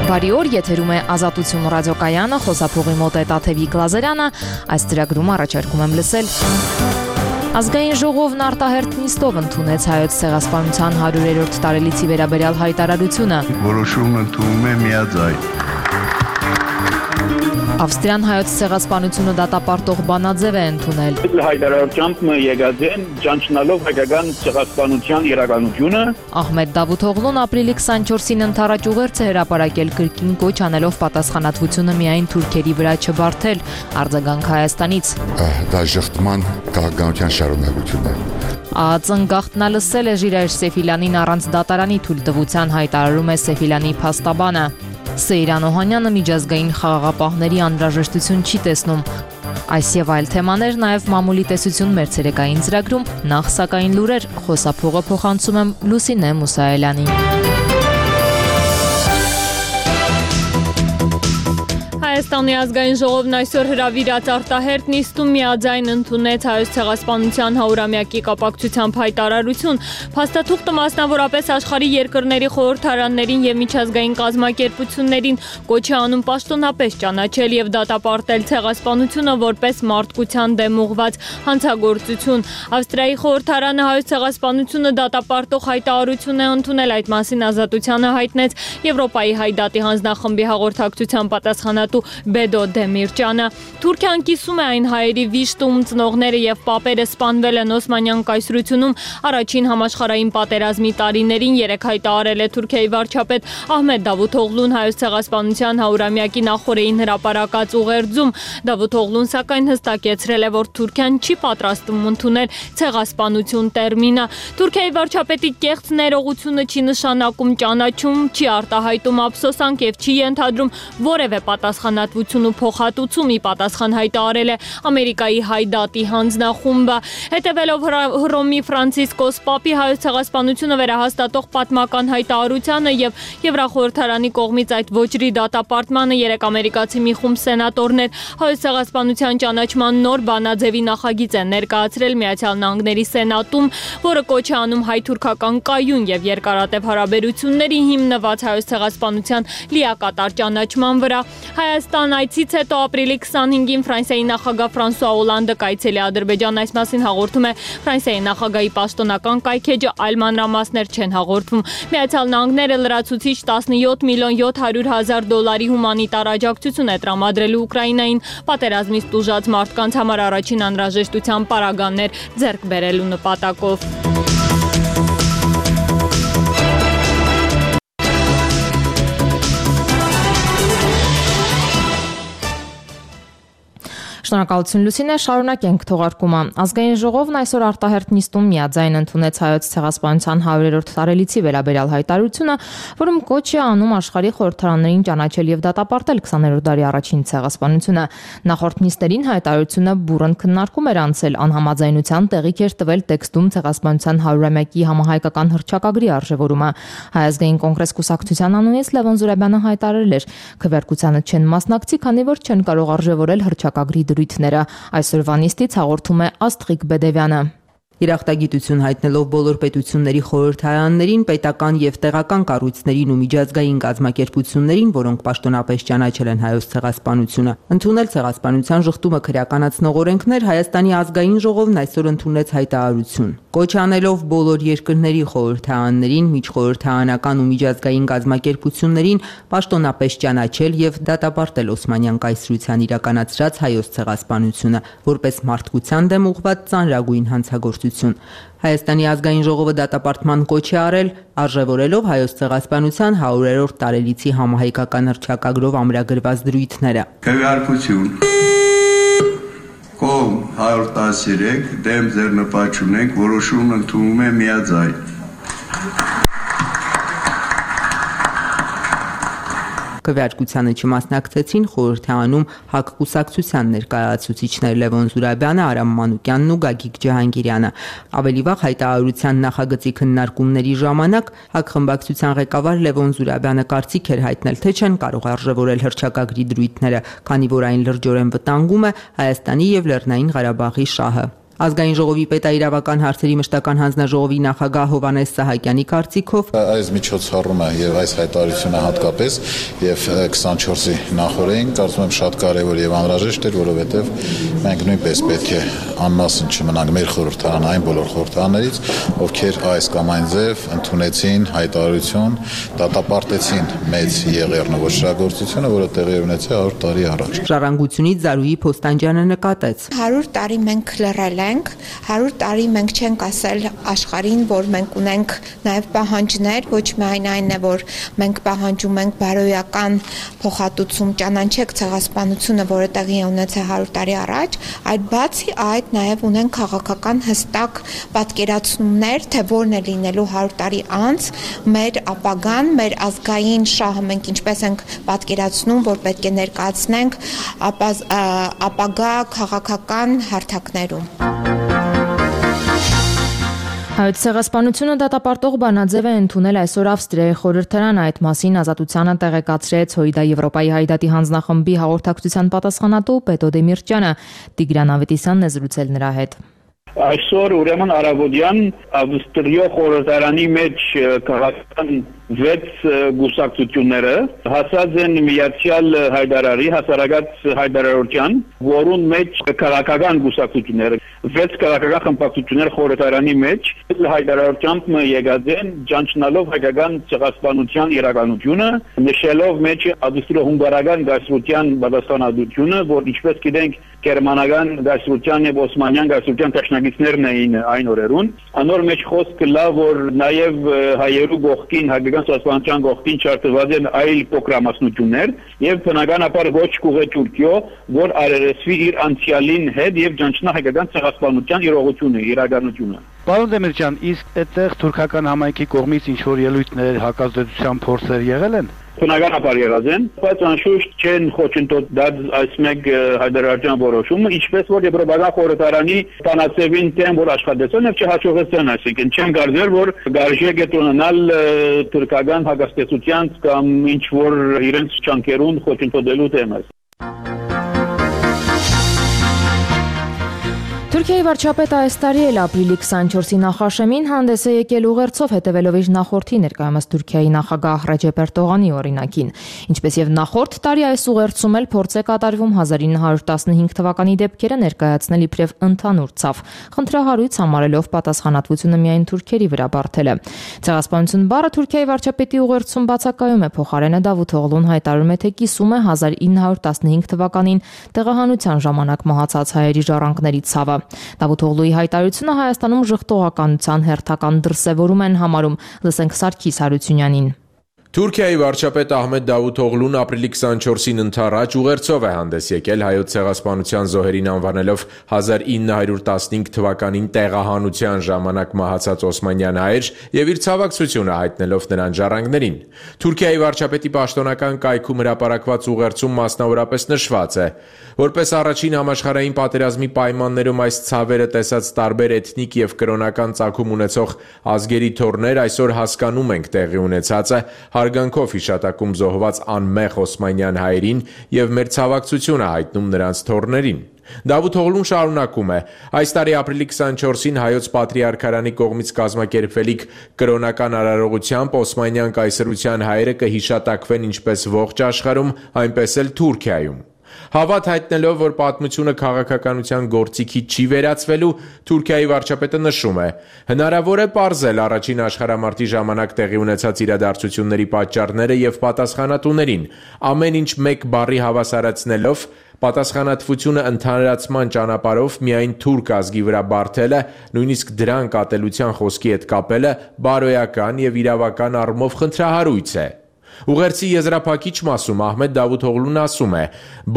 Բարի օր, եթերում է Ազատություն ռադիոկայանը, խոսափողի մոտ է Տաթևիկ Լազարյանը, այս ծրագրում առաջարկում եմ լսել։ Ազգային ժողովն արտահերթ նիստով ընդունեց Հայոց ցեղասպանության 100-րդ տարելիցի վերաբերյալ հայտարարությունը։ Որոշումն ընդունում է միաձայն։ Ավստրիան Հայոց ցեղասպանությունը դատապարտող բանաձև է ընդունել։ Հայտարարությամբ եկած են ճանաչելով հայկական ցեղասպանության իրականությունը։ Ահմեդ Դավութօղլուն ապրիլի 24-ին ընթառաջ ուղերձ է հրապարակել կրկին կոչ անելով պատասխանատվությունը միայն թուրքերի վրա չբարթել, արձագանք Հայաստանից։ Դա ժխտման քաղաքականության շարունակություն է։ ԱԱԾ-ն գաղտնալսել է Ժիրայր Սեֆիլյանին առանց դատարանի թույլտվության, հայտարարում է Սեֆիլյանի փաստաբանը։ Սեյրան Օհանյանը միջազգային խաղաղապահների անհրաժեշտություն չի տեսնում։ Այս եւ այլ թեմաներ, նաեւ մամուլի տեսություն մեր ցերեկային ծրագրում, նախ սակայն լուրեր, խոսափողը փոխանցում եմ Լուսինե Մուսայելյանին։ Հայաստանի ազգային ժողովն այսօր հրավիրած արտահերթ նիստում միաձայն ընդունեց Հայոց ցեղասպանության 100-ամյակի կապակցությամբ հայտարարություն։ Փաստաթուղթը մասնավորապես աշխարհի երկրների խորհրդարաններին եւ միջազգային կազմակերպություններին կոչ է անում պաշտոնապես ճանաչել եւ դատապարտել ցեղասպանությունը որպես մարդկության դեմ ուղղված հանցագործություն։ Ավստրիայի խորհրդարանը Հայոց ցեղասպանությունը դատապարտող հայտարարություն է ընդունել, այդ մասին Ազատությանը հայտնեց Եվրոպայի հայ դատի հանձնախմբի հաղորդակցության պատասխանատու Բեդո Դեմիրճյանը։ Թուրքիան կիսում է այն հայերի վիշտ ում ծնողները եւ պապերը սպանվել են Օսմանյան կայսրությունում առաջին համաշխարհային պատերազմի տարիներին, երեք հայտարարել է Թուրքիայի վարչապետ Ահմեդ Դավութօղլուն Հայոց ցեղասպանության 100-ամյակի նախօրեին հրապարակած ուղերձում։ Դավութօղլուն սակայն հստակեցրել է, որ Թուրքիան չի պատրաստվում ընդունել ցեղասպանություն տերմինը։ Թուրքիայի վարչապետի կեղծ ներողությունը չի նշանակում ճանաչում, չի արտահայտում ափսոսանք եւ չի ենթադրում որևէ պատասխանատվություն ու փոխհատուցում, ի պատասխան հայտարարել է Ամերիկայի հայ դատի հանձնախումբը։ Հետևելով Հռոմի Ֆրանցիսկոս Պապի Հայոց ցեղասպանությունը վերահաստատող պատմական հայտարարությանը եւ Եվրախորհրդարանի կողմից այդ ոճրի դատապարտմանը, երեք ամերիկացի մի խումբ սենատորներ Հայոց ցեղասպանության ճանաչման նոր բանաձևի նախագիծ են ներկայացրել Միացյալ Նահանգների Սենատում, որը կոչ է անում հայ-թուրքական կայուն եւ երկարատև հարաբերությունների հիմնված Հայոց ցեղասպանության լիակատար ճանաչման վրա։ Հայաստան այցից հետո ապրիլի 25-ին Ֆրանսիայի նախագահ Ֆրանսուଆ Օլանդը կայցելի Ադրբեջան, այս մասին հաղորդում է Ֆրանսիայի նախագահի պաշտոնական կայքեջը, այլ մանրամասներ չեն հաղորդվում։ Միացյալ Նահանգները լրացուցիչ 17 միլիոն 700 հազար դոլարի հումանիտար աջակցություն է տրամադրելու Ուկրաինային պատերազմից տուժած մարդկանց համար առաջին անհրաժեշտության պարագաներ ձեռք բերելու նպատակով։ Շնորհակալություն Լուսինե, շարունակենք թողարկումը։ Ազգային ժողովն այսօր արտահերթ նիստում միաձայն ընդունեց Հայոց ցեղասպանության 100-րդ տարելիցի վերաբերյալ հայտարարությունը, որում կոչ է անում աշխարհի խորհրդարաններին ճանաչել եւ դատապարտել 20-րդ դարի առաջին ցեղասպանությունը։ Նախորդ նիստերին հայտարարությունը բուռն քննարկում էր անցել, անհամաձայնության տեղիք էր տվել տեքստում ցեղասպանության 100-ամյակի համահայկական հռչակագրի արժևորումը։ Հայ ազգային կոնգրես կուսակցության անունից Լևոն Զուրաբյանը հայտարարել էր, քվեարկությանը չեն մասնակցի, քանի որ չեն կարող արժևորել հռչակագրի դրույթները։ Այսօրվա նիստից հաղորդում է Աստղիկ Բեդևյանը։ Երախտագիտություն հայտնելով բոլոր պետությունների խորհրդարաններին, պետական եւ տեղական կառույցներին ու միջազգային կազմակերպություններին, որոնք պաշտոնապես ճանաչել են Հայոց ցեղասպանությունը, ընդունել ցեղասպանության ժխտումը քրեականացնող օրենքներ, Հայաստանի ազգային ժողովն այսօր ընդունեց հայտարարություն։ Կոչ անելով բոլոր երկրների խորհրդարաններին, միջխորհրդարանական ու միջազգային կազմակերպություններին պաշտոնապես ճանաչել եւ դատապարտել Օսմանյան կայսրության իրականացրած Հայոց ցեղասպանությունը, որպես մարդկության դեմ ուղղված ծանրագույն հանցագործություն։ Հայաստանի ազգային ժողովը դատապարտման կոչ է արել, արժևորելով Հայոց ցեղասպանության 100-րդ տարելիցի համահայկական հռչակագրով ամրագրված դրույթները։ Քվեարկություն։ Կողմ 113, դեմ ձեռնպատ չունենք, որոշումն ընդունում է միաձայն։ Քվեարկությանը չմասնակցեցին խորհրդարանում ՀԱԿ կուսակցության ներկայացուցիչներ Լևոն Զուրաբյանը, Արամ Մանուկյանն ու Գագիկ Ջահանգիրյանը։ Ավելի վաղ հայտարարության նախագծի քննարկումների ժամանակ ՀԱԿ խմբակցության ղեկավար Լևոն Զուրաբյանը կարծիք էր հայտնել, թե չեն կարող արժևորել հռչակագրի դրույթները, քանի որ այն լրջորեն վտանգում է Հայաստանի եւ Լեռնային Ղարաբաղի շահը։ Ազգային ժողովի պետաիրավական հարցերի մշտական հանձնաժողովի նախագահ Հովհաննես Սահակյանի կարծիքով այս միջոցառումը եւ այս հայտարարությունը հատկապես եւ 24-ի նախորդին կարծում եմ շատ կարեւոր եւ անհրաժեշտ էր, որովհետեւ մենք նույնպես պետք է անմասն չմնանք մեր խորհրդարանային բոլոր խորհրդարաններից, ովքեր այս կամ այն ձև ընդունեցին հայտարարություն, դատապարտեցին մեծ եղեռնը ոչրագործությունը, որը տեղի ունեցավ 100 տարի առաջ։ Ժառանգությունից Զարուհի Փոստանջյանը նկատեց. 100 տարի մենք լռել ենք, 100 տարի մենք չենք ասել աշխարհին, որ մենք ունենք նաև պահանջներ, ոչ միայն այն է, որ մենք պահանջում ենք բարոյական փոխհատուցում, ճանաչեք ցեղասպանությունը, որը տեղի է ունեցել 100 տարի առաջ, այլ բացի այդ նաև ունենք քաղաքական հստակ պատկերացումներ, թե որն է լինելու 100 տարի անց մեր ապագան, մեր ազգային շահը մենք ինչպես ենք պատկերացնում, որ պետք է ներկայացնենք ապագա քաղաքական հարթակներում։ Հայոց ցեղասպանությունը դատապարտող բանաձև է ընդունել այսօր Ավստրիայի խորհրդարանը, այդ մասին Ազատությանը տեղեկացրեց ՀՅԴ Եվրոպայի հայդատի հանձնախմբի հաղորդակցության պատասխանատու Պետո Դեմիրճյանը։ Տիգրան Ավետիսյանն է զրուցել նրա հետ։ Այսօր ուրեմն առավոտյան Ավստրիո խորհրդարանի մեջ քաղաքական 6 գուսակցությունները հասած են միացյալ հայտարարի հասարակած հայտարարության, որուն մեջ քաղաքական գուսակցությունները 6 քաղաքական խմբակցություններ խորհրդարանի մեջ հայտարարությամբ եկած են ճանաչելով հայկական ցեղասպանության իրականությունը, նշելով մեջ ավստրո-հունգարական գայսրության պատասխանատվությունը, որ ինչպես գիտենք գերմանական գայսրության եւ օսմանյան գայսրության տեխնագիցներն էին այն օրերուն, անոր մեջ խոսքը լավ որ նաեւ հայերու գողքին հայկական ցեղասպանության գողքին չարտված են այլ փոքրամասնություններ եւ բնականաբար ոչ կուղե Թուրքիո, որ արերեսվի իր անցյալին հետ եւ ճանչնա հայկական ցեղասպանության իրողությունը, իրականությունը։ Պարոն Դեմիրճյան, իսկ այդտեղ թուրքական համայնքի կողմից ինչ որ ելույթներ, հակազդեցության փորձեր եղել են։ Բնականաբար եղած են, բայց անշուշտ չեն խոչընդոտած այս մեկ հայտարարության որոշումը, ինչպես որ Եվրոպական խորհրդարանի բանաձևին դեմ որ աշխատեցան եւ չհաջողեցան, այսինքն չեն կարծել որ գարժե գտնալ թուրքական հակազդեցության կամ ինչ որ իրենց չանկերուն խոչընդոտելու դեմ է։ Թուրքիայի վարչապետը այս տարի էլ ապրիլի 24-ի նախաշեմին հանդես է եկել ուղերձով հետևելով իր նախորդի ներկայումս Թուրքիայի նախագահ Ռեջեփ Էրդողանի օրինակին։ Ինչպես եւ նախորդ տարի այս ուղերձում էլ փորձ է կատարվում 1915 թվականի դեպքերը ներկայացնել իբրև ընդհանուր ցավ, խնդրահարույց համարելով պատասխանատվությունը միայն թուրքերի վրա բարթելը։ Ցեղասպանություն բառը Թուրքիայի վարչապետի ուղերձում բացակայում է, փոխարենը Դավութ Օղլուն հայտարարում է, թե կիսում է 1915 թվականին տեղահանության ժամանակ մահացած հայերի ժառանգների ցավը։ Դավութ Օղլուի հայտարարությունը Հայաստանում ժխտողականության հերթական դրսևորում են համարում։ Լսենք Սարգիս Հարությունյանին։ Թուրքիայի վարչապետ Ահմեդ Դավութ Օղլուն ապրիլի 24-ին ընդառաջ ուղերձով է հանդես եկել հայոց ցեղասպանության զոհերին անվանելով 1915 թվականին տեղահանության ժամանակ մահացած օսմանյան հայեր եւ իր ցավակցությունը հայտնելով նրան ժառանգներին։ Թուրքիայի վարչապետի պաշտոնական կայքում հրապարակված ուղերձում մասնավորապես նշված է, որպես առաջին համաշխարհային պատերազմի պայմաններում այս ցավերը տեսած տարբեր էթնիկ եւ կրոնական ծագում ունեցող ազգերի թոռներ այսօր հասկանում ենք տեղի ունեցածը հարգանքով հիշատակում զոհված անմեղ օսմանյան հայերին եւ մեր ցավակցությունը հայտնում նրանց թոռներին։ Դավութ Օղլուն շարունակում է. այս տարի ապրիլի 24-ին հայոց պատրիարքարանի կողմից կազմակերպվելիք կրոնական արարողությամբ օսմանյան կայսրության հայերը կհիշատակվեն ինչպես ողջ աշխարհում, այնպես էլ Թուրքիայում։ Հավատ հայտնելով, որ պատմությունը քաղաքականության գործիքի չի վերածվելու, Թուրքիայի վարչապետը նշում է. հնարավոր է պարզել առաջին աշխարհամարտի ժամանակ տեղի ունեցած իրադարձությունների պատճառները եւ պատասխանատուներին, ամեն ինչ մեկ բառի հավասարացնելով, պատասխանատվությունը ընդհանրացման ճանապարհով միայն թուրք ազգի վրա բարթելը, նույնիսկ դրան կատելության խոսքի հետ կապելը բարոյական եւ իրավական առումով խնդրահարույց է։ Ուղերձի եզրափակիչ մասում Ահմեդ Դավութ Օղլուն ասում է.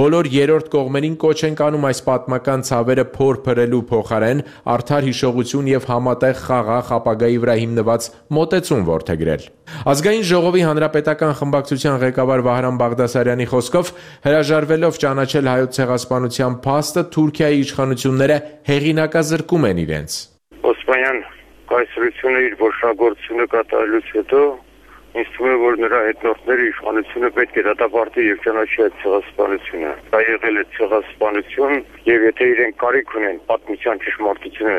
բոլոր երրորդ կողմերին կոչ ենք անում այս պատմական ցավերը փոր փրելու փոխարեն արդար հիշողություն եւ համատեղ խաղաղ ապագայի վրա հիմնված մոտեցում որդեգրել։ Ազգային ժողովի հանրապետական խմբակցության ղեկավար Վահրամ Բաղդասարյանի խոսքով հրաժարվելով ճանաչել հայոց ցեղասպանության փաստը Թուրքիայի իշխանությունները հեղինակազրկում են իրենց։ Օսմանյան կայսրությունը իր ոչնագործությունը կատարելուց հետո Ինձ թվում է, որ նրա հետնորդների իշխանությունը պետք է դատապարտի եւ ճանաչի այդ ցեղասպանությունը։ Դա եղել է ցեղասպանություն եւ եթե իրենք կարիք ունեն պատմության ճշմարտությունը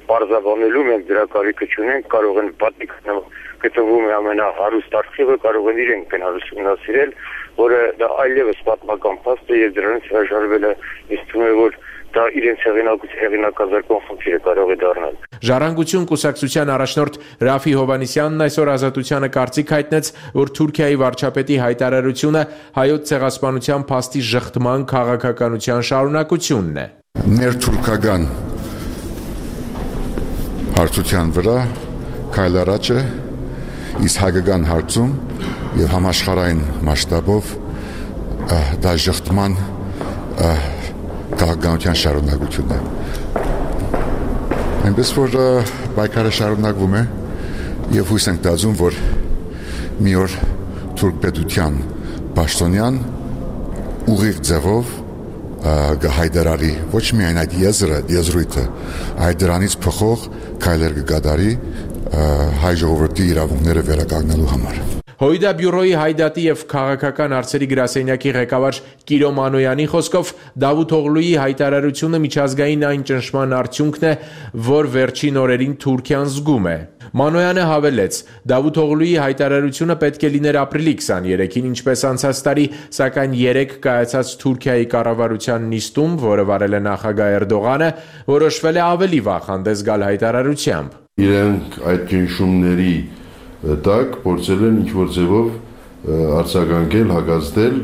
բարձրաբանելու, մենք դրա կարիքը չունենք, կարող են պատմիկը գտնվում է ամենահարուստ արխիվը, կարող են իրենք ուսումնասիրել, որը դա այլևս պատմական փաստ է եւ դրանից հրաժարվելը ինձ թվում է, որ դա իրենց հեղինակազրկող խնդիր է կարող է դառնալ։ Ժառանգություն կուսակցության առաջնորդ Ռաֆի Հովհաննիսյանն այսօր Ազատությանը կարծիք հայտնեց, որ Թուրքիայի վարչապետի հայտարարությունը հայոց ցեղասպանության փաստի ժխտման քաղաքականության շարունակությունն է։ Ներթուրքական հարցության վրա քայլ առաջ է, իսկ հայկական հարցում եւ համաշխարհային մասշտաբով դա ժխտման քաղաքականության շարունակությունն է։ Այնպես որ պայքարը շարունակվում է եւ հույս ենք տածում, որ մի օր թուրք պետության պաշտոնյան ուղիղ ձևով կհայտարարի ոչ միայն այդ եզրույթը, այլ դրանից փոխող քայլեր կկատարի հայ ժողովրդի իրավունքները վերականգնելու համար։ Հույդա բյուրոյի հայդատի եւ քաղաքական հարցերի գրասենյակի ղեկավար Կիրո Մանոյանի խոսքով Դավութ Օղլուի հայտարարությունը միջազգային այն ճնշման արդյունքն է, որ վերջին օրերին Թուրքիան զգում է։ Մանոյանը հավելեց. Դավութ Օղլուի հայտարարությունը պետք է լիներ ապրիլի 23-ին, ինչպես անցած տարի, սակայն 3 կայացած Թուրքիայի կառավարության նիստում, որը վարել է նախագահ Էրդողանը, որոշվել է ավելի վաղ հանդես գալ հայտարարությամբ։ Իրենք այդ ճնշումների տակ փորձել են ինչ-որ ձևով արձագանքել, հակազդել,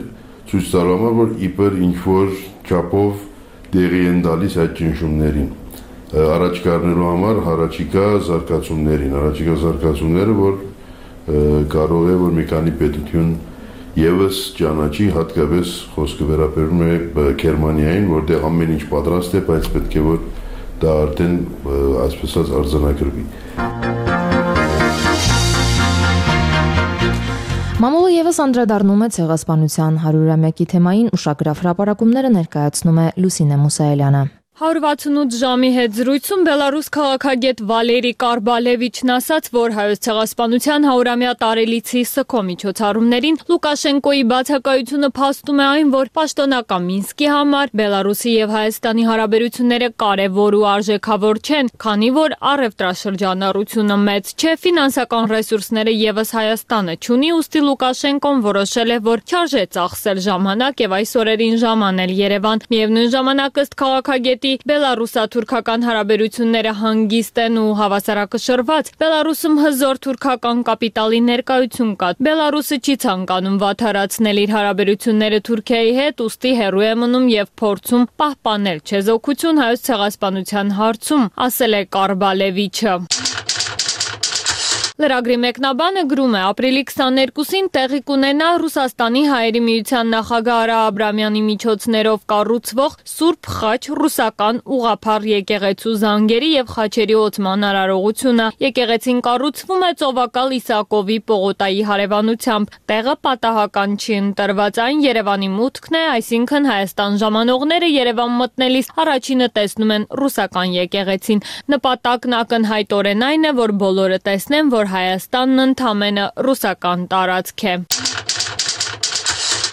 ցույց տալու համար, որ իբր ինչ-որ չափով դեղի են տալիս այդ ճնշումներին։ Առաջ կառնելու համար առաջիկա զարգացումները, որ կարող է, որ մի քանի պետություն եւս ճանաչի, հատկապես խոսքը վերաբերում է Գերմանիային, որտեղ ամեն ինչ պատրաստ է, բայց պետք է որ դա արդեն այսպես ասած արձանագրվի։ Մամուլը եւս անդրադառնում է ցեղասպանության 100-ամյակի թեմային, ուշագրավ հրապարակումները ներկայացնում է Լուսինե Մուսայելյանը։ 168 ժամի հետ զրույցում Բելարուս քաղաքագետ Վալերի Կարբալևիչն ասաց, որ հայոց ցեղասպանության 100-ամյա տարելիցի սգո միջոցառումներին Լուկաշենկոյի բացակայությունը փաստում է այն, որ պաշտոնական Մինսկի համար Բելարուսի եւ Հայաստանի հարաբերությունները կարեւոր ու արժեքավոր չեն, քանի որ առևտրաշրջանառությունը մեծ չէ, ֆինանսական ռեսուրսները եւս Հայաստանը չունի, ուստի Լուկաշենկոն որոշել է, որ չարժե ծախսել ժամանակ եւ այս օրերին ժամանել Երևան։ Միևնույն ժամանակ ըստ քաղաքագետի Բելարուսա-թուրքական հարաբերությունները հանգիստ են ու հավասարակշռված։ Բելարուսում հզոր թուրքական կապիտալի ներկայություն կա։ Բելարուսը չի ցանկանում վատթարացնել իր հարաբերությունները Թուրքիայի հետ, ուստի հեռու է մնում եւ փորձում պահպանել չեզոքություն հայոց ցեղասպանության հարցում, ասել է Կարբալևիչը։ Լրագրի մեկնաբանը գրում է. ապրիլի 22-ին տեղի կունենա Ռուսաստանի Հայերի միության նախագահ Արա Աբրամյանի միջոցներով կառուցվող Սուրբ Խաչ ռուսական ուղղափառ եկեղեցու զանգերի եւ խաչերի օծման արարողությունը։ Եկեղեցին կառուցվում է Ծովակալ Իսակովի պողոտայի հարևանությամբ։ Տեղը պատահական չի ընտրված, այն Երևանի մուտքն է, այսինքն Հայաստան ժամանողները Երևան մտնելիս առաջինը տեսնում են ռուսական եկեղեցին։ Նպատակն ակնհայտորեն այն է, որ բոլորը տեսնեն, որ Հայաստանն ընդամենը ռուսական տարածք է։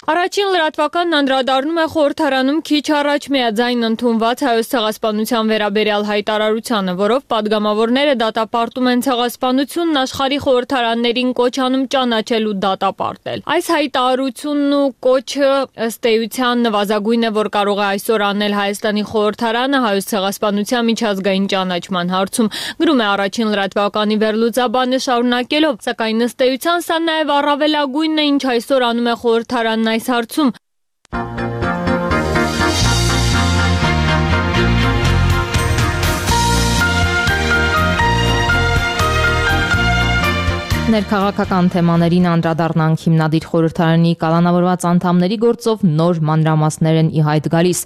Առաջին լրատվականն անդրադառնում է խորհրդարանում քիչ առաջ միաձայն ընդունված հայոց ցեղասպանության վերաբերյալ հայտարարությանը, որով падգամավորները դատապարտում են ցեղասպանությունն աշխարհի խորհրդարաններին կոչ անում ճանաչել ու դատապարտել։ Այս հայտարարությունն ու կոչը ըստ էության նվազագույնն է, որ կարող է այսօր անել Հայաստանի խորհրդարանը հայոց ցեղասպանության միջազգային ճանաչման հարցում, գրում է առաջին լրատվականի վերլուծաբանը շարունակելով, սակայն ըստ էության սա նաև առավելագույնն է, ինչ այսօր անում է խորհրդարանն այս հարցում։ Ներքաղաքական թեմաներին անդրադառնանք հիմնադիր խորհրդարանի կալանավորված անդամների գործով նոր մանրամասներ են ի հայտ գալիս։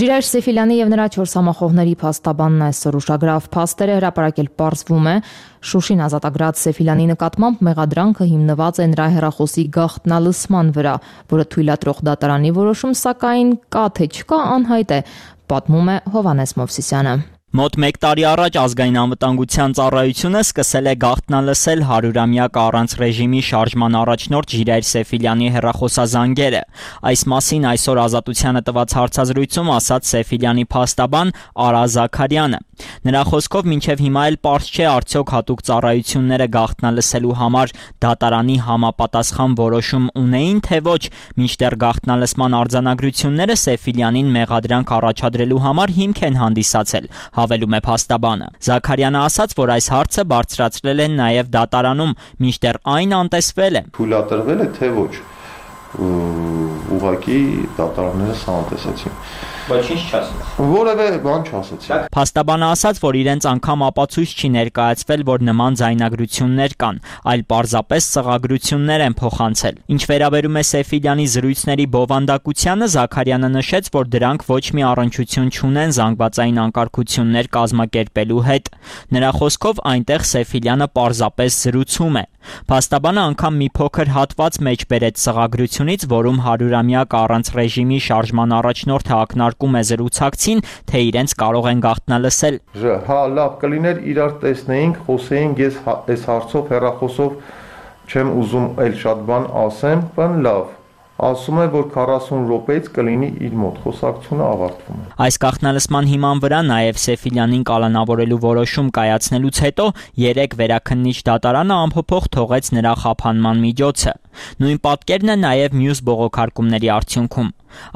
Ժիրայր Սեֆիլյանի եւ նրա 4 համախոհների փաստաբանն այսօր ուշագրավ փաստեր է հրապարակել, պարզվում է, Շուշին ազատագրած Սեֆիլյանի նկատմամբ մեղադրանքը հիմնված է նրա հեռախոսի գաղտնալսման վրա, որը թույլատրող դատարանի որոշում սակայն կա թե չկա անհայտ է, պատմում է Հովհաննես Մովսիսյանը։ Մոտ 1 տարի առաջ ազգային անվտանգության ծառայությունը սկսել է գաղտնալսել 100-ամյակ առանց ռեժիմի շարժման առաջնորդ Ժիրայր Սեֆիլյանի հեռախոսազանգերը։ Այս մասին այսօր Ազատությանը տված հարցազրույցում ասաց Սեֆիլյանի փաստաբան Արա Զաքարյանը։ Նրա խոսքով մինչև հիմա էլ պարզ չէ արդյոք հատուկ ծառայությունները գաղտնալսելու համար դատարանի համապատասխան որոշում ունեին, թե ոչ, մինչդեռ գաղտնալսման արձանագրությունները Սեֆիլյանին մեղադրանք առաջադրելու համար հիմք են հանդիսացել, հավելում է փաստաբանը։ Զաքարյանը ասաց, որ այս հարցը բարձրացրել են նաև դատարանում, մինչդեռ այն անտեսվել է։ Թույլատրվել է, թե ոչ, ուղղակի դատարանները սանտեսեցին։ Բայց ինչ չասեց։ Որևէ բան չասեցին։ Փաստաբանը ասաց, որ իրենց անգամ ապացույց չի ներկայացվել, որ նման ձայնագրություններ կան, այլ պարզապես սղագրություններ են փոխանցել։ Ինչ վերաբերում է Սեֆիլյանի զրույցների բովանդակությանը, Զաքարյանը նշեց, որ դրանք ոչ մի առնչություն չունեն զանգվածային անկարգություններ կազմակերպելու հետ։ Նրա խոսքով այնտեղ Սեֆիլյանը պարզապես զրուցում է։ Փաստաբանը անգամ մի փոքր հատված մեջ բերեց սղագրությունից, որում 100-ամյակ առանց ռեժիմի շարժման առաջնորդը ակնարկում է զրուցակցին, թե իրենց կարող են գաղտնալսել։ Հա, լավ կլիներ իրար տեսնեինք, խոսեինք, ես այս հարցով հեռախոսով չեմ ուզում այլ շատ բան ասեմ, բան լավ։ Ասում է, որ 40 րոպեից կլինի իր մոտ խոսակցությունը ավարտվում է։ Այս գաղտնալսման հիման վրա նաև Սեֆիլյանին կալանավորելու որոշում կայացնելուց հետո 3 վերաքննիչ դատարանը անփոփոխ թողեց նրա խափանման միջոցը։ Նույն պատկերն է նաև մյուս բողոքարկումների արդյունքում։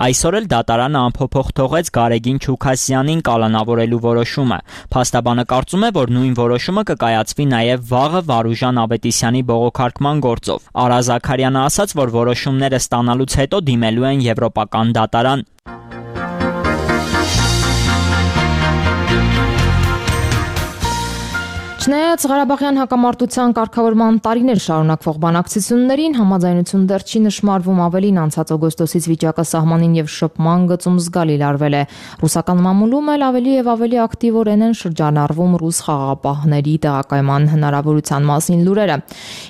Այսօր էլ դատարանը անփոփոխ թողեց Գարեգին Չուքասյանին կալանավորելու որոշումը։ Փաստաբանը կարծում է, որ նույն որոշումը կկայացվի նաև վաղը Վարուժան Ավետիսյանի բողոքարկման գործով։ Արա Զաքարյանը ասաց, որ որոշումները ստանալուց հետո դիմելու են Եվրոպական դատարան։ Չնայած Ղարաբաղյան հակամարտության կարգավորման տարիներ շարունակվող բանակցություններին համաձայնություն դեռ չի նշմարվում, ավելին անցած օգոստոսից վիճակը սահմանին եւ շփման գծում զգալի լարվել է։ Ռուսական մամուլում էլ ավելի եւ ավելի ակտիվորեն են շրջանառվում ռուս խաղաղապահների տեղակայման հնարավորության մասին լուրերը։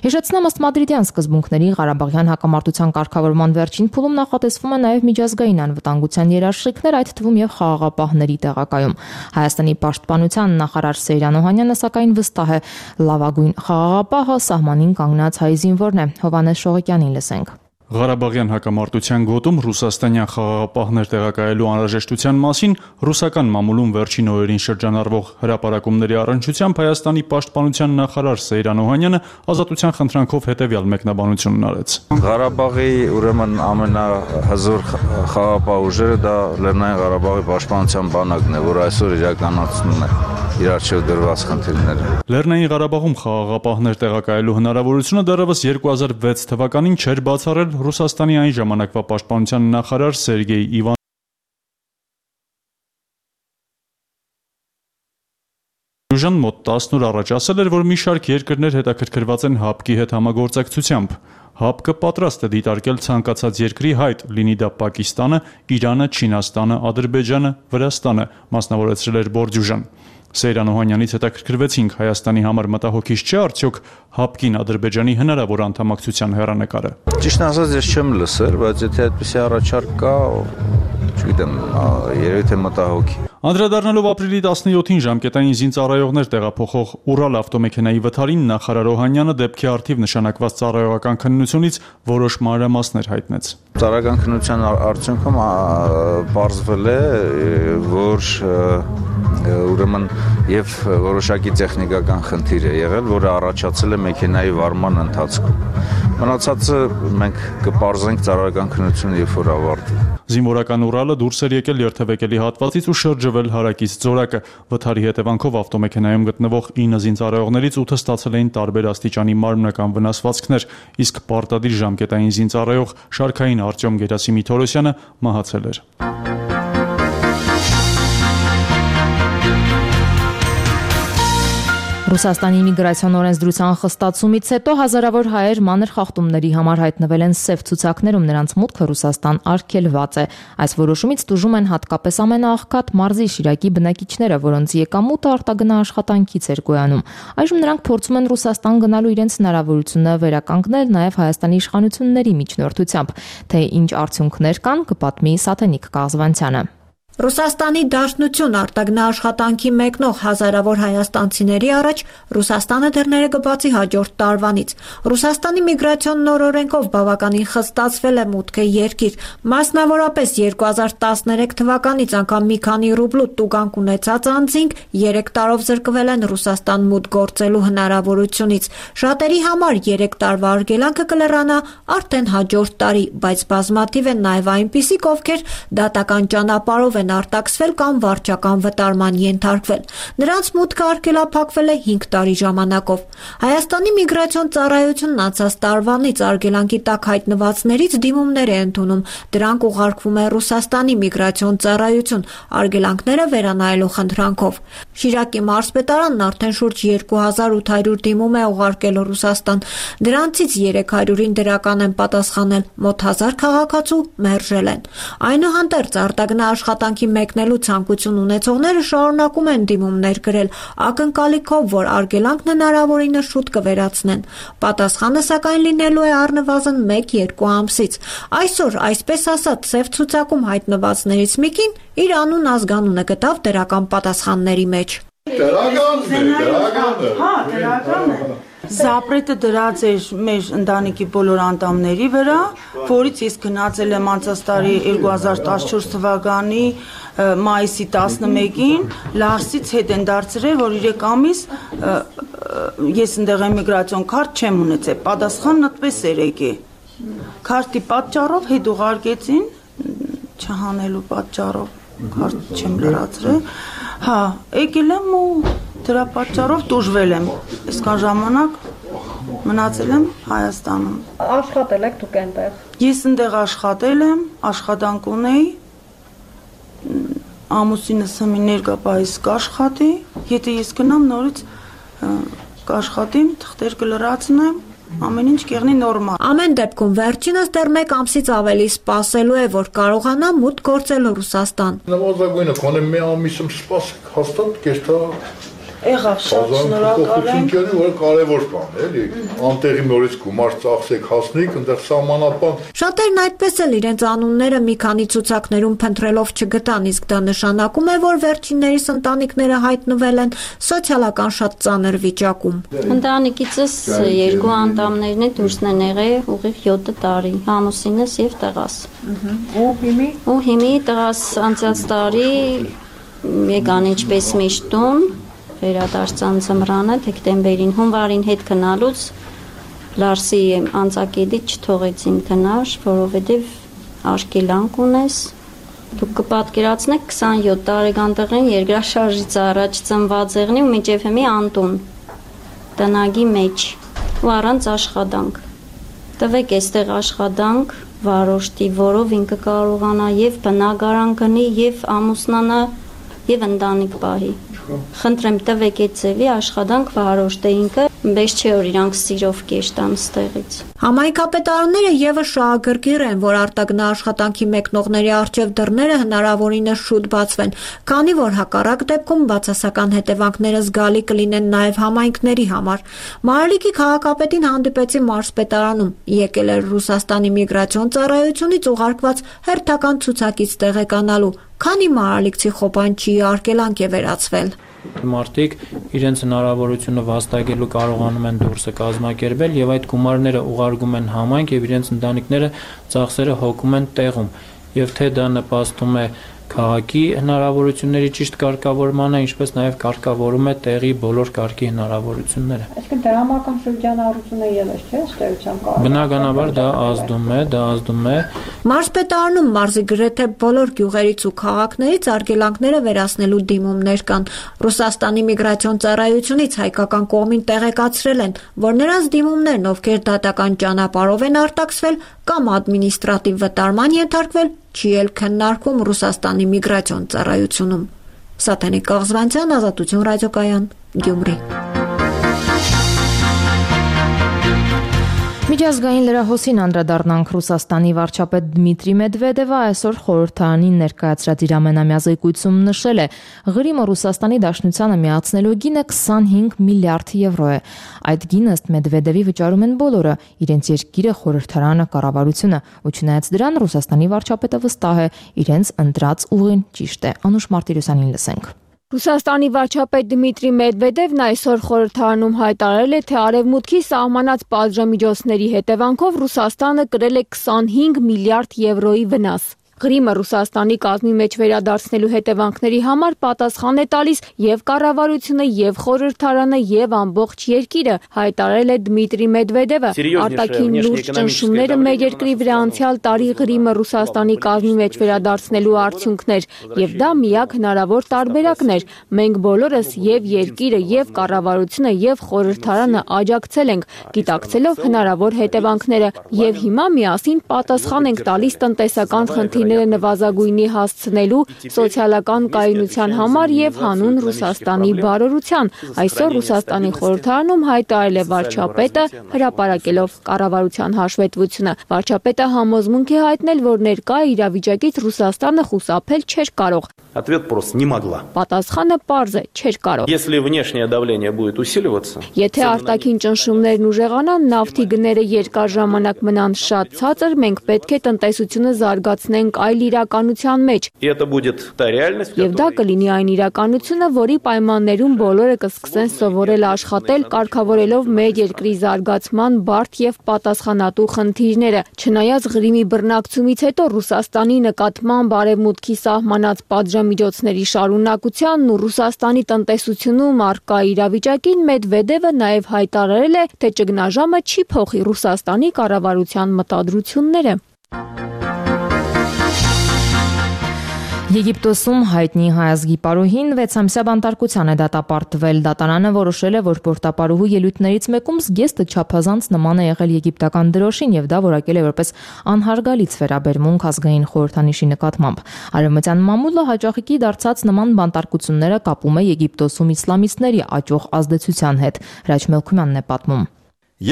Հիշեցնեմ, ըստ մադրիդյան սկզբունքների Ղարաբաղյան հակամարտության կարգավորման վերջին փուլում նախատեսվում է նաեւ միջազգային անվտանգության երաշխիքներ, այդ թվում եւ խաղաղապահների տեղակայում։ Հայաստանի պաշտպանության նախարար Սեյրան Օհանյանը սակայն վստահ է, լավագույն խաղաղապահը սահմանին կանգնած հայ զինվորն է։ Հովհաննես Շողոկյանին լսենք։ Ղարաբաղյան հակամարտության գոտում ռուսաստանյան խաղաղապահներ տեղակայելու անհրաժեշտության մասին ռուսական մամուլում վերջին օրերին շրջանառվող հրապարակումների առնչությամբ Հայաստանի պաշտպանության նախարար Սեյրան Օհանյանը Ազատության խնդրանքով հետևյալ մեկնաբանությունն արեց։ Ղարաբաղի ուրեմն ամենահզոր խաղաղապահ ուժերը դա Լեռնային Ղարաբաղի պաշտպանության բանակն է, որ այսօր իրականացնում է իր առջև դրված խնդիրները։ Լեռնային Ղարաբաղում խաղաղապահներ տեղակայելու հնարավորությունը դեռևս 2006 թվականին չէր բացառել Ռուսաստանի այն ժամանակվա պաշտպանության նախարար Սերգեյ Իվանովիչն մոտ 10 օր առաջ ասել էր, որ մի շարք երկրներ հետաքրքրված են ՀԱՊԿ-ի հետ համագործակցությամբ։ ՀԱՊԿ-ը պատրաստ է դիտարկել ցանկացած երկրի հայտ, լինի դա Պակիստանը, Իրանը, Չինաստանը, Ադրբեջանը, Վրաստանը, մասնավորեցրել էր Բորդյուժան։ Սեյրան Օհանյանից հետաքրքրվեցինք Հայաստանի համար մտահոգիչ չէ արդյոք ՀԱՊԿ-ին Ադրբեջանի հնարավոր անդամակցության հեռանկարը։ Ճիշտ ասած, ես չեմ լսել, բայց եթե այդպիսի առաջարկ կա, չգիտեմ, երևի թե մտահոգի։ Անդրադառնալով ապրիլի 17-ին ժամկետային զինծառայողներ տեղափոխող Ուրալ ավտոմեքենայի վթարին նախարար Օհանյանը դեպքի առթիվ նշանակված ծառայողական քննությունից որոշ մանրամասներ հայտնեց։ Ծառայողական քննության արդյունքում պարզվել է, որ ուրեմն եւ որոշակի տեխնիկական խնդիր է եղել, որը առաջացել է մեքենայի վարման ընթացքում։ Մնացածը մենք կպարզենք ծառայողական քննությունը, երբ որ ավարտվի։ Զինվորական Ուրալը դուրս էր եկել երթևեկելի հատվածից ու շրջվել հարակից ձորակը։ Վթարի հետևանքով ավտոմեքենայում գտնվող 9 զինծառայողներից 8-ը ստացել էին տարբեր աստիճանի մարմնական վնասվածքներ, իսկ պարտադիր ժամկետային զինծառայող շարքային Արտյոմ Գերասիմի Թորոսյանը մահացել էր։ Ռուսաստանի միգրացիոն օրենսդրության խստացումից հետո հազարավոր հայեր մանր խախտումների համար հայտնվել են սև ցուցակներում, նրանց մուտքը Ռուսաստան արգելված է։ Այս որոշումից տուժում են հատկապես ամենաաղքատ մարզի Շիրակի բնակիչները, որոնց եկամուտը արտագնա աշխատանքից էր գոյանում։ Այժմ նրանք փորձում են Ռուսաստան գնալու իրենց հնարավորությունը վերականգնել նաև Հայաստանի իշխանությունների միջնորդությամբ։ Թե ինչ արդյունքներ կան, կպատմի Սաթենիկ Կազվանցյանը։ Ռուսաստանի Դաշնություն արտագնաաշխատանքի մեկնող հազարավոր հայաստանցիների առաջ Ռուսաստանը դռները կբացի հաջորդ տարվանից։ Ռուսաստանի միգրացիոն նոր օրենքով բավականին խստացվել է մուտքը երկիր, մասնավորապես 2013 թվականից անգամ մի քանի ռուբլու տուգանք ունեցած անձինք 3 տարով զրկվել են Ռուսաստան մուտք գործելու հնարավորությունից։ Շատերի համար 3 տարվա արգելանքը կլրանա արդեն հաջորդ տարի, բայց բազմաթիվ են նաև այնպիսիք, ովքեր դատական ճանապարհով արտաքսվել կամ վարչական վտարման ենթարկվել։ Նրանց մուտքը արգելափակվել է 5 տարի ժամանակով։ Հայաստանի միգրացիոն ծառայությունն անցած տարվանից արգելանքի տակ հայտնվածներից դիմումներ է ընդունում։ Դրանք ուղարկվում է Ռուսաստանի միգրացիոն ծառայություն արգելանքները վերանայելու խնդրանքով։ Շիրակի մարզպետարանն արդեն շուրջ 2800 դիմում է ուղարկել Ռուսաստան։ Դրանցից 300-ին դրական են պատասխանել, մոտ 1000 քաղաքացու մերժել են։ Այնուհանդերձ արտագնաաշխատանքի մեկնելու ցանկություն ունեցողները շարունակում են դիմումներ գրել, ակնկալիքով, որ արգելանքն հնարավորինս շուտ կվերացնեն։ Պատասխանը սակայն լինելու է առնվազն 1-2 ամսից։ Այսօր, այսպես ասած, սև ցուցակում հայտնվածներից մի կին իր անուն ազգանունը գտավ դրական պատասխանների մեջ։ Դրական է։ Զապրետը դրած էր մեր ընտանիքի բոլոր անդամների վրա, որից ես գնացել եմ անցած տարի 2014 թվականի մայիսի 11-ին, Լարսից հետ են դարձրել, որ 3 ամիս ես ընդեղ էմիգրացիոն քարտ չեմ ունեցել, պատասխանն այդպես էր եկել։ Քարտի պատճառով հետ ուղարկեցին, չհանելու պատճառով քարտ չեմ լրացրել։ Հա, եկել եմ ու դրա պատճառով տուժվել եմ։ Այսքան ժամանակ մնացել եմ Հայաստանում։ Աշխատել եք դուք այնտեղ։ Ես այնտեղ աշխատել եմ, աշխատանք ունեի։ Ամուսինս հիմա ներկայիս կաշխատի, եթե ես գնամ նորից կաշխատեմ, թղթեր կլրացնեմ, ամեն ինչ կեղնի նորմալ։ Ամեն դեպքում վերջինս դեռ 1 ամսից ավելի սպասելու է, որ կարողանա մուտք գործել Ռուսաստան։ Նվազագույնը քոնե մի ամիսում սպասեք, հաստատ կերտա Եղավ, շատ շնորհակալ եմ։ Որ կարևոր բան է, էլի, անտեղի նորից գումար ծախսեք, հասնեք, այնտեղ սահմանապան։ Շատերն այդպես էլ իրենց անունները մի քանի ցուցակներում փնտրելով չգտան, իսկ դա նշանակում է, որ վերջիններիս ընտանիքները հայտնվել են սոցիալական շատ ծանր վիճակում։ Ընտանիքիցս 2 անդամներն է դուրսն են եղել ուղիղ 7 տարի, ամուսինս եւ տղաս։ Ու հիմի տղաս անցած տարի եկան ինչպես միշտ տուն վերադարձան ձմռանը դեկտեմբերին հունվարին հետ գնալուց Լարսի անցակետից չթողեցին գնար, որովհետև արգելանք ունես։ Դուք կպատկերացնեք 27 տարեկան տղեն երկրաշարժից առաջ ծնված եղնի ու մինչև հիմի անտուն տնագի մեջ ու առանց աշխատանք։ Տվեք այստեղ աշխատանք վարոշտի, որով ինքը կարողանա եւ բնակարան գնի, եւ ամուսնանա, եւ ընտանիք պահի։ Խնդրեմ տվեք այդ ձևի աշխատանք վարոշտե ինքը, բայց չէ որ իրանք սիրով կեշտան ստեղից։ Համայնքապետարանները եւս շահագրգիռ են, որ արտագնաաշխատանքի մեկնողների առջև դռները հնարավորինս շուտ բացվեն, քանի որ հակառակ դեպքում բացասական հետևանքները զգալի կլինեն նաեւ համայնքների համար։ Մարալիկի քաղաքապետին հանդիպեցի մարզպետարանում, եկել էր Ռուսաստանի միգրացիոն ծառայությունից ուղարկված հերթական ցուցակից տեղեկանալու, քանի մարալիկցի խոպանչի արգելանք է վերացվել։ Մարդիկ իրենց հնարավորությունը վաստակելու կարողանում են դուրսը կազմակերպել եւ այդ գումարները ուղարկում են համայնք եւ իրենց ընտանիքները ծախսերը հոգում են տեղում եւ թե դա նպաստում է քաղաքի հնարավորությունների ճիշտ կարգավորմանը, ինչպես նաև կարգավորում է տեղի բոլոր կարգի հնարավորությունները։ Այսինքն դրամական շրջանառությունը ևս չէ, ըստ էության կարող։ Բնականաբար դա ազդում է։ Մարզպետարանում մարզի գրեթե բոլոր գյուղերից ու քաղաքներից արգելանքները վերացնելու դիմումներ կան։ Ռուսաստանի միգրացիոն ծառայությունից հայկական կողմին տեղեկացրել են, որ նրանց դիմումներն, ովքեր դատական ճանապարհով են արտաքսվել կամ ադմինիստրատիվ վտարման ենթարկվել, չի էլ քննարկվում Ռուսաստանի միգրացիոն ծառայությունում։ Սաթենիկ Կաղզվանցյան, Ազատություն ռադիոկայան, Գյումրի։ Միջազգային լրահոսին անդրադառնանք Ռուսաստանի վարչապետ Դմիտրի Մեդվեդևը այսօր խորհրդարանին ներկայացրած իր ամենամյա զեկույցում նշել է, Ղրիմը Ռուսաստանի Դաշնությանը միացնելու գինը 25 միլիարդ եվրո է։ Այդ գինը ըստ Մեդվեդևի վճարում են բոլորը, իրենց երկիրը, խորհրդարանը, կառավարությունը, ու չնայած դրան Ռուսաստանի վարչապետը վստահ է, իրենց ընտրած ուղին ճիշտ է։ Անուշ Մարտիրոսյանին լսենք։ Ռուսաստանի վարչապետ Դմիտրի Մեդվեդևն այսօր խորհրդարանում հայտարարել է, թե Արևմուտքի սահմանած պատժամիջոցների հետևանքով Ռուսաստանը կրել է 25 միլիարդ եվրոյի վնաս։ Ղրիմը Ռուսաստանի կազմի մեջ վերադարձնելու հետևանքների համար պատասխան է տալիս եւ կառավարությունը, եւ խորհրդարանը, եւ ամբողջ երկիրը, հայտարարել է Դմիտրի Մեդվեդևը։ Արտաքին լուրջ ճնշումները մեր երկրի վրա անցյալ տարի Ղրիմը Ռուսաստանի կազմի մեջ վերադարձնելու արդյունքներ, եւ դա միակ հնարավոր տարբերակն էր։ Մենք բոլորս եւ երկիրը, եւ կառավարությունը, եւ խորհրդարանը աջակցել ենք, գիտակցելով հնարավոր հետևանքները, եւ հիմա միասին պատասխան ենք տալիս տնտեսական խնդիրները նվազագույնի հասցնելու, սոցիալական կայունության համար եւ հանուն Ռուսաստանի բարօրության։ Այսօր Ռուսաստանի խորհրդարանում հայտարարել է վարչապետը, հրապարակելով կառավարության հաշվետվությունը։ Վարչապետը համոզմունք է հայտնել, որ ներկա իրավիճակից Ռուսաստանը խուսափել չէր կարող։ Ответ прост: не могла. Պատասխանը պարզ է, չէր կարող։ Если внешнее давление будет усиливаться, եթե արտաքին ճնշումներն ուժեղանան, նավթի գները երկար ժամանակ մնան շատ ցածր, մենք պետք է տնտեսությունը զարգացնենք այլ իրականության մեջ։ И это будет та реальность, Եվ դա կլինի այն իրականությունը, որի պայմաններում բոլորը կսկսեն սովորել աշխատել, կարգավորելով մեր երկրի զարգացման բարդ եւ պատասխանատու խնդիրները։ Չնայած Ղրիմի բռնակցումից հետո Ռուսաստանի նկատմամբ Արևմուտքի սահմանած պատժամիջոցների շարունակությանն ու Ռուսաստանի տնտեսությունում առկա իրավիճակին Մեդվեդևը նաև հայտարարել է, թե ճգնաժամը չի փոխի Ռուսաստանի կառավարության մտադրությունները։ Եգիպտոսում հայտնի հայազգի պարուհին 6-ամսյա բանտարկության է դատապարտվել։ Դատարանը որոշել է, որ պորտապարուհու ելույթներից մեկում զգեստը չափազանց նման է եղել եգիպտական դրոշին եւ դա որակել է որպես անհարգալից վերաբերմունք ազգային խորհրդանիշի նկատմամբ։ Արևմտյան մամուլը հաճախակի դարձած նման բանտարկությունները կապում է Եգիպտոսում իսլամիստների աճող ազդեցության հետ։ Հրաչ Մելքումյանն է պատմում։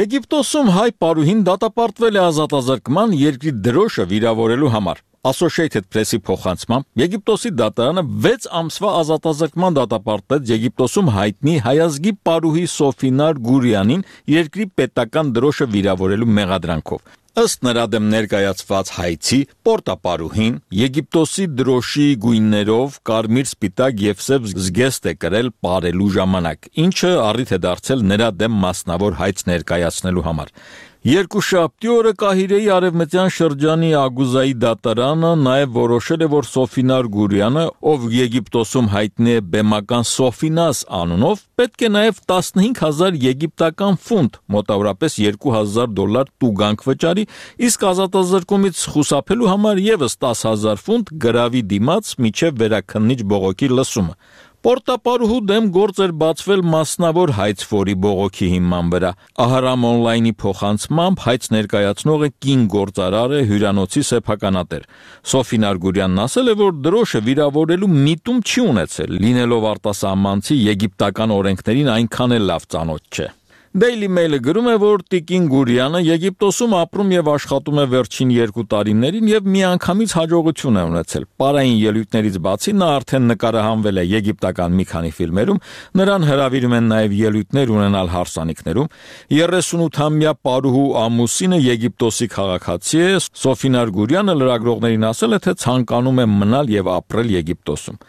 Եգիպտոսում հայ պարուհին դատապարտվել է ազատազրկման երկրի դրոշը վիրավորելու համար։ Associated Press-ի փոխանցմամբ Եգիպտոսի դատարանը 6 ամսվա ազատազրկման դատապարտեց Եգիպտոսում հայտնի հայազգի պարուհի Սոֆինար Գուրյանին երկրի պետական դրոշը վիրավորելու մեղադրանքով։ Ըստ նրա դեմ ներկայացված հայցի պորտապարուհին Եգիպտոսի դրոշի գույներով կարմիր, սպիտակ եւ սև զգեստ է կրել պարելու ժամանակ, ինչը առիթ է դարձել նրա դեմ մասնավոր հայց ներկայացնելու համար։ Երկուշաբթի օրը Կահիրեի արևմտյան շրջանի Ագուզայի դատարանը նաև որոշել է, որ Սոֆինար Գուրյանը, ով Եգիպտոսում հայտնի է բեմական Սոֆինաս անունով, պետք է նաև 15,000 եգիպտական ֆունտ, մոտավորապես $2,000 տուգանք վճարի, իսկ ազատազրկումից խուսափելու համար եւս 10,000 ֆունտ գրավի դիմաց միջև վերաքննիչ բողոքի լսումը։ Պորտապարուհու դեմ գործ էր բացվել մասնավոր հայց ֆորի բողոքի հիման վրա։ Ահարամ on-line-ի փոխանցմամբ հայց ներկայացնողը կին գործարար է, հյուրանոցի սեփականատեր։ Սոֆինար Գուրյանն ասել է, որ դրոշը վիրավորելու միտում չի ունեցել, լինելով արտասահմանցի եգիպտական օրենքներին այնքան էլ լավ ծանոթ չէ։ Daily Mail-ը գրում է, որ Տիկին Գուրյանը Եգիպտոսում ապրում եւ աշխատում է վերջին 2 տարիներին եւ միանգամից հաջողություն է ունեցել։ Պարային ելույթներից բացի նա արդեն նկարահանվել է եգիպտական մի քանի ֆիլմերում, նրան հրավիրում են նաեւ ելույթներ ունենալ հարսանիքներում։ 38-ամյա պարուհու ամուսինը Եգիպտոսի քաղաքացի է։ Սոֆինար Գուրյանը լրագրողներին ասել է, թե ցանկանում է մնալ եւ ապրել Եգիպտոսում։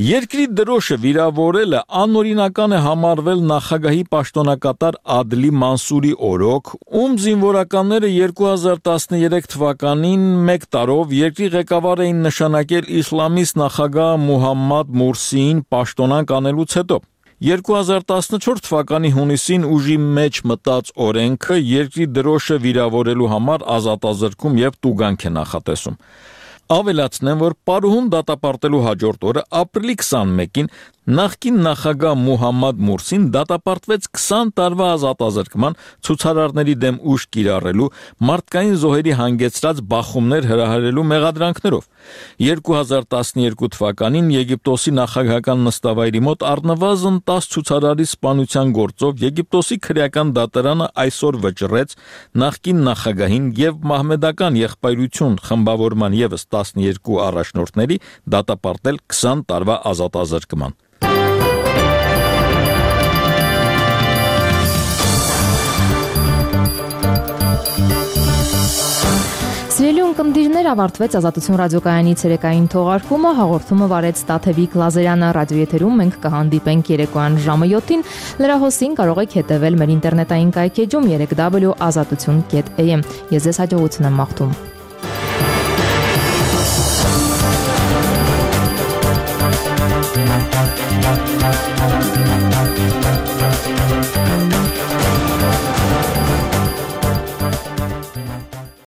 Երկրի դրոշը վիրավորելը անօրինական է համարվել նախագահի պաշտոնակատար Ադլի Մանսուրի օրոք, ում զինվորականները 2013 թվականին 1 տարով երկրի ղեկավար էին նշանակել իսլամիստ նախագահ Մուհամմադ Մուրսիին պաշտոնանկ անելուց հետո։ 2014 թվականի հունիսին ուժի մեջ մտած օրենքը երկրի դրոշը վիրավորելու համար ազատազրկում եւ տուգանք է նախատեսում։ Ավելացնեմ, որ պարուհուն դատապարտելու հաջորդ օրը ապրիլի 21-ին Նախկին նախագահ Մուհամմադ Մուրսին դատապարտվեց 20 տարվա ազատազրկման ցուցարարների դեմ ուժ կիրառելու, մարդկային զոհերի հանգեցրած բախումներ հրահրելու մեղադրանքներով։ 2012 թվականին Եգիպտոսի նախագահական նստավայրի մոտ առնվազն 10 ցուցարարի սպանության գործով Եգիպտոսի քրեական դատարանը այսօր վճռեց նախկին նախագահին եւ մահմեդական եղբայրություն խմբավորման եւս 12 առաջնորդների դատապարտել 20 տարվա ազատազրկման։ Սիրելի ունկնդիրներ, ավարտվեց Ազատություն ռադիոկայանի ցերեկային թողարկումը, հաղորդումը վարեց Տաթևիկ Լազարյանը, ռադիոեթերում մենք կհանդիպենք երեկոյան ժամը 7-ին, լրահոսին կարող եք հետևել մեր ինտերնետային կայքեջում 3w.azatutun.am։ Ես ձեզ հաջողություն եմ մաղթում։ Thank you.